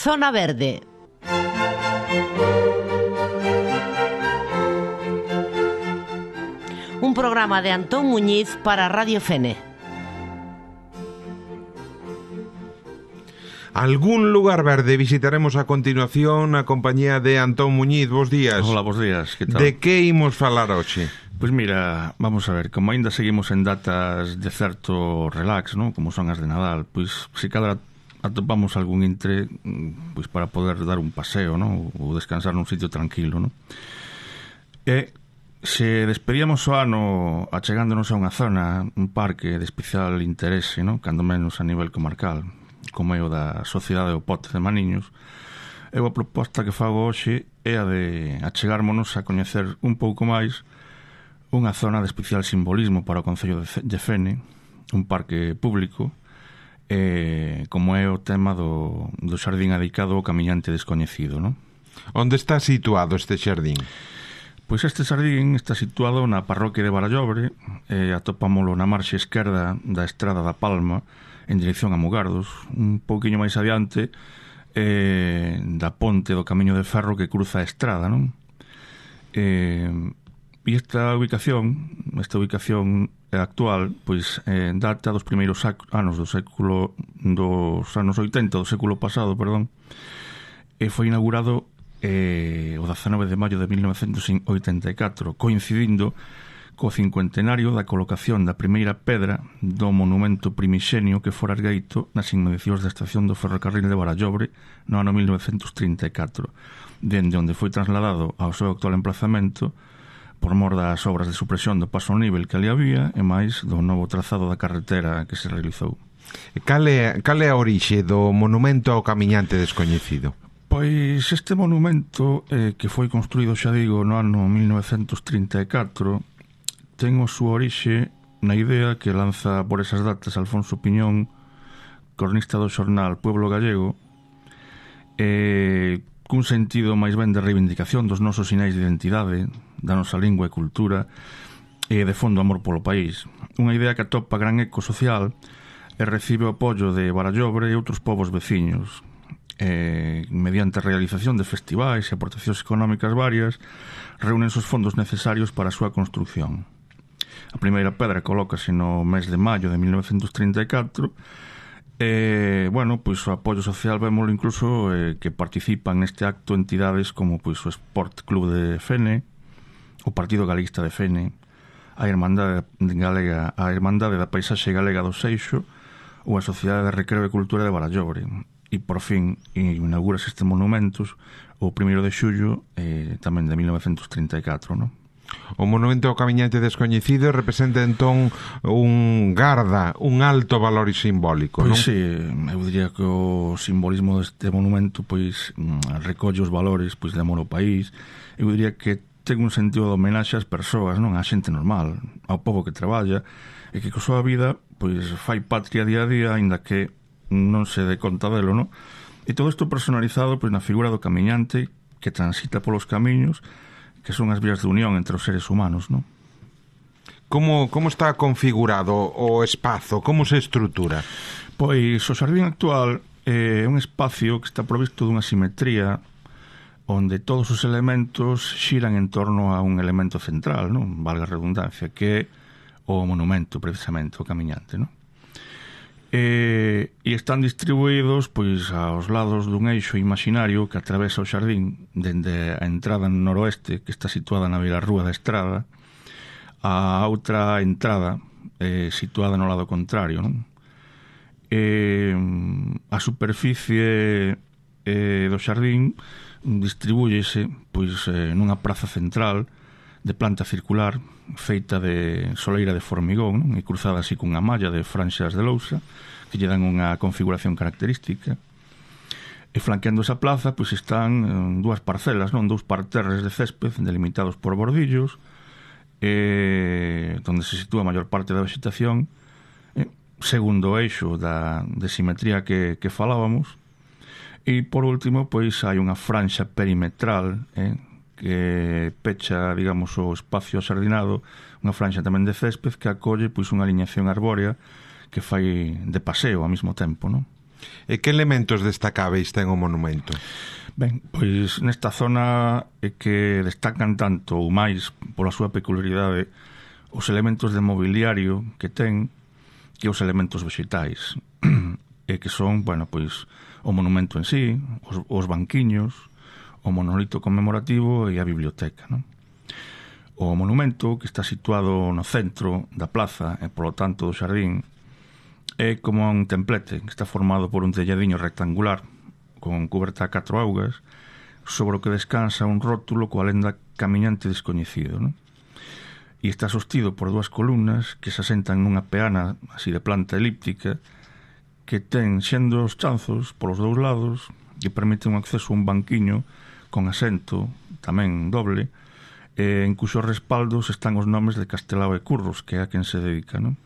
Zona Verde. Un programa de Antón Muñiz para Radio Fene. Algún lugar verde visitaremos a continuación na compañía de Antón Muñiz. Bos días. Hola, bos días, que tal? De que imos falar hoxe? Pois mira, vamos a ver, como ainda seguimos en datas de certo relax, ¿no? Como son as de Nadal, pois se cada atopamos algún intre, pois para poder dar un paseo, ¿no? Ou descansar nun sitio tranquilo, ¿no? E se despedíamos o ano achegándonos a unha zona, un parque de especial interese, ¿no? Cando menos a nivel comarcal, como é o da Sociedade do Pote de Maniños, eu a proposta que fago hoxe é a de achegármonos a coñecer un pouco máis unha zona de especial simbolismo para o Concello de Fene, un parque público, como é o tema do xardín adicado ao camiñante descoñecido, ¿no? Onde está situado este xardín? Pois este xardín está situado na parroquia de Barallobre, atopámolo na marxe esquerda da Estrada da Palma, en dirección a Mugardos, un pouquiño máis adiante da ponte do camiño de ferro que cruza a estrada, non? E esta ubicación actual, pois data dos primeiros anos dos anos 80 do século pasado, perdón, e foi inaugurado o 19 de maio de 1984, coincidindo co cincuentenario da colocación da primeira pedra do monumento primixenio que fora ergueito nas inmediacións da estación do ferrocarril de Barallobre no ano 1934, dende onde foi trasladado ao seu actual emplazamento por mor das obras de supresión do paso a nivel que ali había e máis do novo trazado da carretera que se realizou. Cal é a orixe do monumento ao camiñante descoñecido? Pois este monumento, que foi construído, xa digo, no ano 1934, ten a súa orixe na idea que lanza por esas datas Alfonso Piñón, cronista do xornal Pueblo Gallego, cun sentido máis ben de reivindicación dos nosos sinais de identidade, da nosa lingua e cultura, e de fondo amor polo país. Unha idea que atopa gran eco social e recibe o apoio de Barallobre e outros povos veciños, mediante a realización de festivais e aportacións económicas varias, reúnen os fondos necesarios para a súa construcción. A primeira pedra colócase no mes de maio de 1934 e, bueno, pois o apoio social vémolo incluso que participan neste acto entidades como pois o Sport Club de Fene, o Partido Galeguista de Fene, a Irmandade da Paisaxe Galega do Seixo ou a Sociedade de Recreo e Cultura de Barallobre. E, por fin, inaugurase este monumentos o 1 de xullo tamén de 1934, non? O monumento ao camiñante descoñecido representa entón un garda, un alto valor simbólico, non? Pois sí, eu diría que o simbolismo deste monumento pois recolle os valores pois de amor ao país. Eu diría que ten un sentido de homenaxe ás persoas, non? Á xente normal, ao povo que traballa e que co súa vida pois fai patria día a día, aínda que non se dé conta delo, non? E todo isto personalizado pois na figura do camiñante que transita polos camiños que son as vías de unión entre os seres humanos, non? Como está configurado o espazo? Como se estrutura? Pois o xardín actual é un espacio que está provisto dunha simetría onde todos os elementos xiran en torno a un elemento central, non? Valga a redundancia, que é o monumento, precisamente, o camiñante, non? E están distribuídos pois aos lados dun eixo imaginario que atravesa o xardín dende a entrada noroeste, que está situada na beirarrúa da estrada, a outra entrada situada no lado contrario, non? A superficie do xardín distribúyese pois nunha praza central de planta circular feita de soleira de formigón, non? E cruzada así cunha malla de franxas de lousa que lle dan unha configuración característica. E flanqueando esa plaza pois están dúas parcelas, non? Dous parterres de césped delimitados por bordillos, onde se sitúa a maior parte da vegetación, segundo o eixo de simetría que falábamos. E por último pois hai unha franxa perimetral que pecha, digamos, o espacio axardinado, unha franxa tamén de césped que acolle pois unha aliñación arbórea que fai de paseo ao mesmo tempo, non? E que elementos destacáveis ten o monumento? Ben, pois nesta zona é que destacan tanto ou máis pola súa peculiaridade os elementos de mobiliario que ten que os elementos vegetais e que son, bueno, pois o monumento en sí, os banquiños, o monolito conmemorativo e a biblioteca, non? O monumento, que está situado no centro da plaza e, polo tanto, do xardín, é como un templete que está formado por un telladiño rectangular con coberta a 4 augas sobre o que descansa un rótulo coa lenda Camiñante Descoñecido, non? E está sostido por 2 columnas que se asentan nunha peana así de planta elíptica que ten xendos chanzos polos dous lados que permiten un acceso a un banquiño con asento, tamén doble, en cuxos respaldos están os nomes de Castelao e Curros, que é a quen se dedica, non?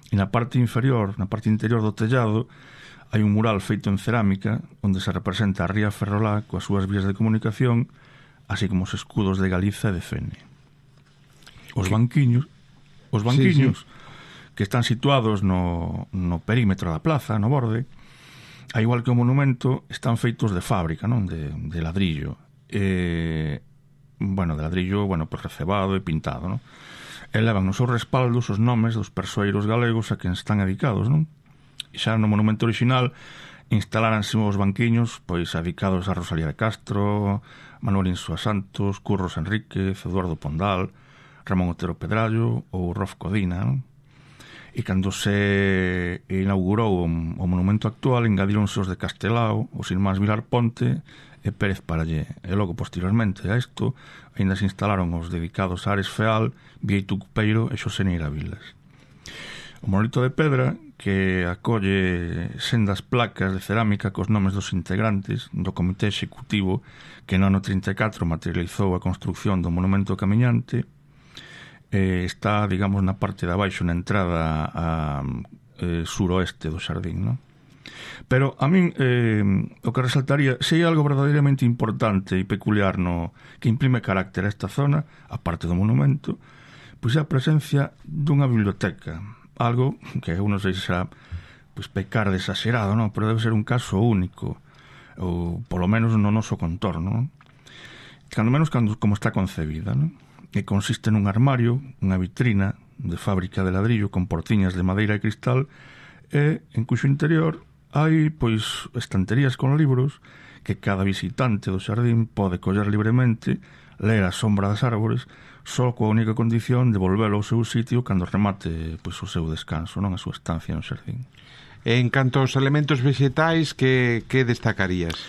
E na parte inferior, na parte interior do tellado, hai un mural feito en cerámica onde se representa a ría Ferrolá coas súas vías de comunicación, así como os escudos de Galiza e de Fene. Os banquiños sí. Que están situados no perímetro da plaza, no borde, a igual que o monumento, están feitos de fábrica, non? De ladrillo. De ladrillo, pues recebado e pintado, non? E levan nos seus respaldos os nomes dos persoeiros galegos a quen están dedicados, non? E xa no monumento original instaláranse os banquiños pois dedicados a Rosalía de Castro, Manuel Insua Santos, Curros Enríquez, Eduardo Pondal, Ramón Otero Pedrallo ou Rof Codina, non? E cando se inaugurou o monumento actual engadíronse os de Castelao, os irmáns Vilar Ponte e Pérez Parallé. E logo, posteriormente a isto, ainda se instalaron os dedicados a Ares Feal, Bieito Cupeiro e Xosé Neira Vilas. O monolito de pedra, que acolle sendas placas de cerámica cos nomes dos integrantes do comité executivo que no ano 34 materializou a construcción do monumento camiñante, está, digamos, na parte de abaixo, na entrada a suroeste do xardín, non? Pero a min o que resaltaría, se hai algo verdadeiramente importante e peculiar que imprime carácter a esta zona, a parte do monumento, pois é a presencia dunha biblioteca, algo que eu non sei se será pois pecar de exagerado, non? Pero debe ser un caso único, ou polo menos no noso contorno, non? Cando menos como está concebida, non? Que consiste nun armario, unha vitrina de fábrica de ladrillo con portiñas de madeira e cristal e en cuxo interior hai pois estanterías con libros que cada visitante do xardín pode coller libremente, ler a sombra das árbores, só coa única condición de volvelo ao seu sitio cando remate pois o seu descanso, non a súa estancia no xardín. En canto aos elementos vegetais, que destacarías?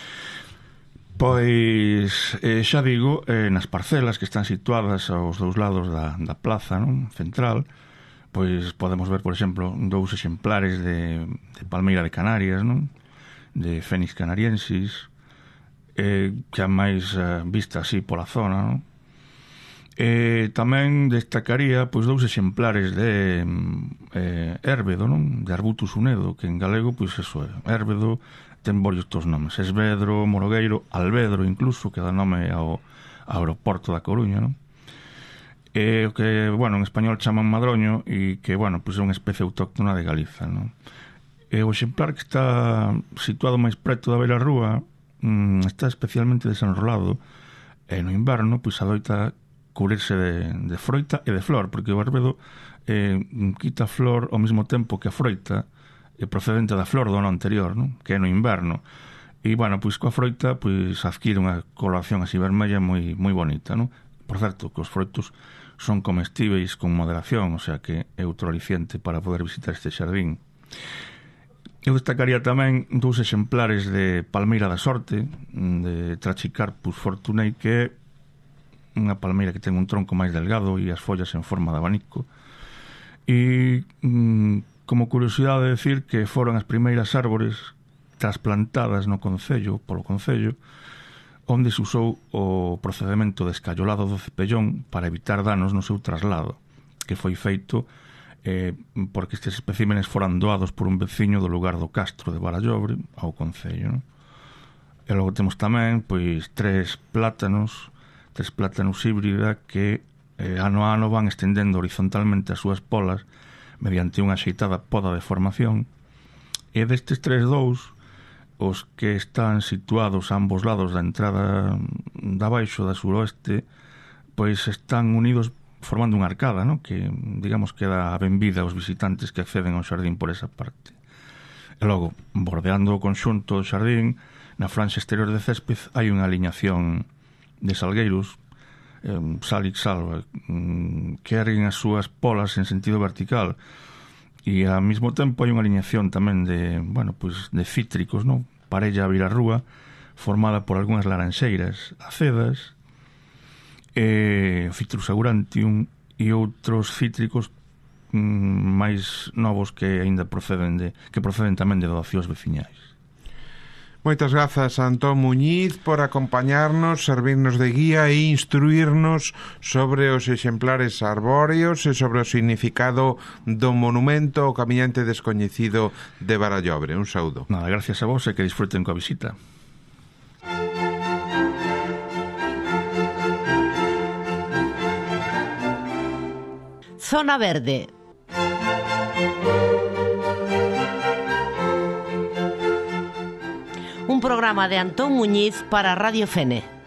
Pois, xa digo, nas parcelas que están situadas aos dous lados da plaza, non? Central, pois podemos ver, por exemplo, 2 exemplares de palmeira de Canarias, non? De Fénix canariensis, que a máis vista así pola zona, non? Tamén destacaría pois 2 exemplares de érbedo, non? De Arbutus unedo, que en galego, pois eso é, érbedo ten varios estos nomes, esvedro, morogueiro, albedro incluso, que dá nome ao aeroporto da Coruña, non? O que, en español chaman madroño e que, pois é unha especie autóctona de Galiza, non? O exemplar que está situado máis preto da beira rúa está especialmente desenrolado e no inverno, pois adoita cubrirse de froita e de flor, porque o arbedo quita flor ao mesmo tempo que a froita procedente da flor do ano anterior, non? Que é no inverno. E, pois coa froita pois adquire unha coloración así vermella moi bonita, non? Por certo, que os froitos son comestíveis con moderación, o sea que é outro aliciente para poder visitar este xardín. Eu destacaría tamén 2 exemplares de palmeira da sorte, de Trachycarpus fortunei, que é unha palmeira que ten un tronco máis delgado e as follas en forma de abanico. E como curiosidade decir que foron as primeiras árbores trasplantadas no concello, polo concello, onde se usou o procedemento de escallolado do cepellón para evitar danos no seu traslado, que foi feito porque estes especímenes foran doados por un veciño do lugar do Castro de Barallobre ao concello, non? E logo temos tamén pois 3 plátanos híbrida que ano a ano van estendendo horizontalmente as súas polas mediante unha axeitada poda de formación E destes 3-2, os que están situados a ambos lados da entrada da baixo da suroeste, pois están unidos formando unha arcada, no? Que, digamos, que dá a benvida aos visitantes que acceden ao xardín por esa parte. E logo, bordeando o conxunto do xardín, na franxa exterior de césped hai unha aliñación de salgueiros, Salix salva, que erguen as súas polas en sentido vertical, e ao mesmo tempo hai unha aliñación tamén de, bueno, pues de cítricos, no? Parella a virarrúa, formada por algunhas laranxeiras acedas, Citrus aurantium e outros cítricos máis novos que aínda proceden tamén de doacións veciñais. Moitas grazas a Antón Muñiz por acompañarnos, servirnos de guía e instruirnos sobre os exemplares arbóreos e sobre o significado do monumento ao camiñante descoñecido de Barallobre. Un saúdo. Nada, gracias a vos e que disfruten coa visita. Zona Verde. Un programa de Antón Muñiz para Radio Fene.